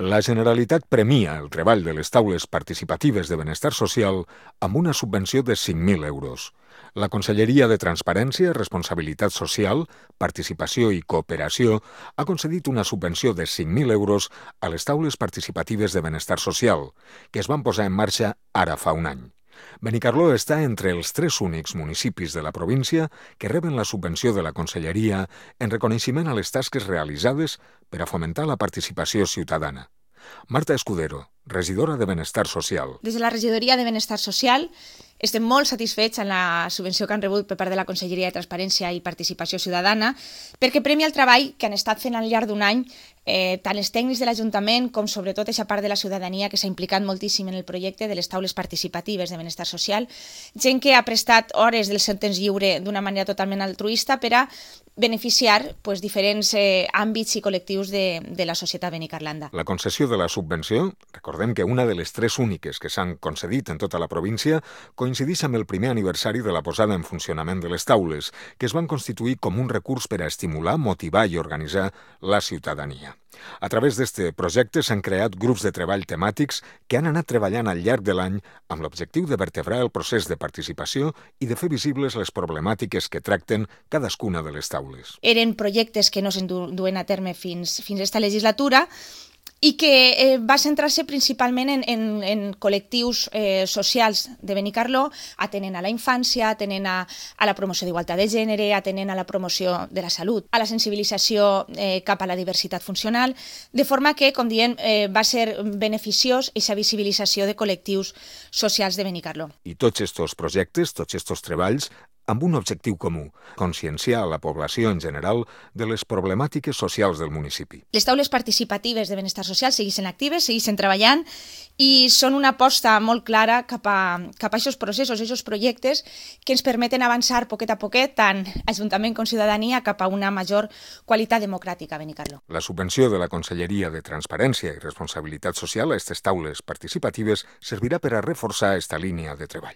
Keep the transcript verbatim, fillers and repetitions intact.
La Generalitat premia el treball de les taules participatives de benestar social amb una subvenció de cinc mil euros. La Conselleria de Transparència, Responsabilitat Social, Participació i Cooperació ha concedit una subvenció de cinc mil euros a les taules participatives de benestar social, que es van posar en marxa ara fa un any. Benicarló està entre els tres únics municipis de la província que reben la subvenció de la Conselleria en reconeixement a les tasques realitzades per a fomentar la participació ciutadana. Marta Escudero, regidora de Benestar Social. Des de la regidoria de Benestar Social estem molt satisfets amb la subvenció que han rebut per part de la Conselleria de Transparència i Participació Ciutadana perquè premia el treball que han estat fent al llarg d'un any eh, tant els tècnics de l'Ajuntament com sobretot aquesta part de la ciutadania que s'ha implicat moltíssim en el projecte de les taules participatives de benestar social, gent que ha prestat hores del seu temps lliure d'una manera totalment altruista per a beneficiar pues, diferents eh, àmbits i col·lectius de, de la societat benicarlanda. La concessió de la subvenció, recordem que una de les tres úniques que s'han concedit en tota la província, coincideix amb el primer aniversari de la posada en funcionament de les taules, que es van constituir com un recurs per a estimular, motivar i organitzar la ciutadania. A través d'aquest projecte s'han creat grups de treball temàtics que han anat treballant al llarg de l'any amb l'objectiu de vertebrar el procés de participació i de fer visibles les problemàtiques que tracten cadascuna de les taules. Eren projectes que no se'n duen a terme fins, fins a esta legislatura i que eh, va centrar-se principalment en, en, en col·lectius eh, socials de Benicarló, atenent a la infància, atenent a, a la promoció d'igualtat de gènere, atenent a la promoció de la salut, a la sensibilització eh, cap a la diversitat funcional, de forma que, com diem, eh, va ser beneficiós aquesta visibilització de col·lectius socials de Benicarló. I tots aquests projectes, tots aquests treballs, amb un objectiu comú, conscienciar a la població en general de les problemàtiques socials del municipi. Les taules participatives de benestar social segueixen actives, segueixen treballant i són una aposta molt clara cap a, cap a aquests processos, aquests projectes que ens permeten avançar poquet a poquet, tant Ajuntament com ciutadania, cap a una major qualitat democràtica a Benicarló. La subvenció de la Conselleria de Transparència i Responsabilitat Social a aquestes taules participatives servirà per a reforçar aquesta línia de treball.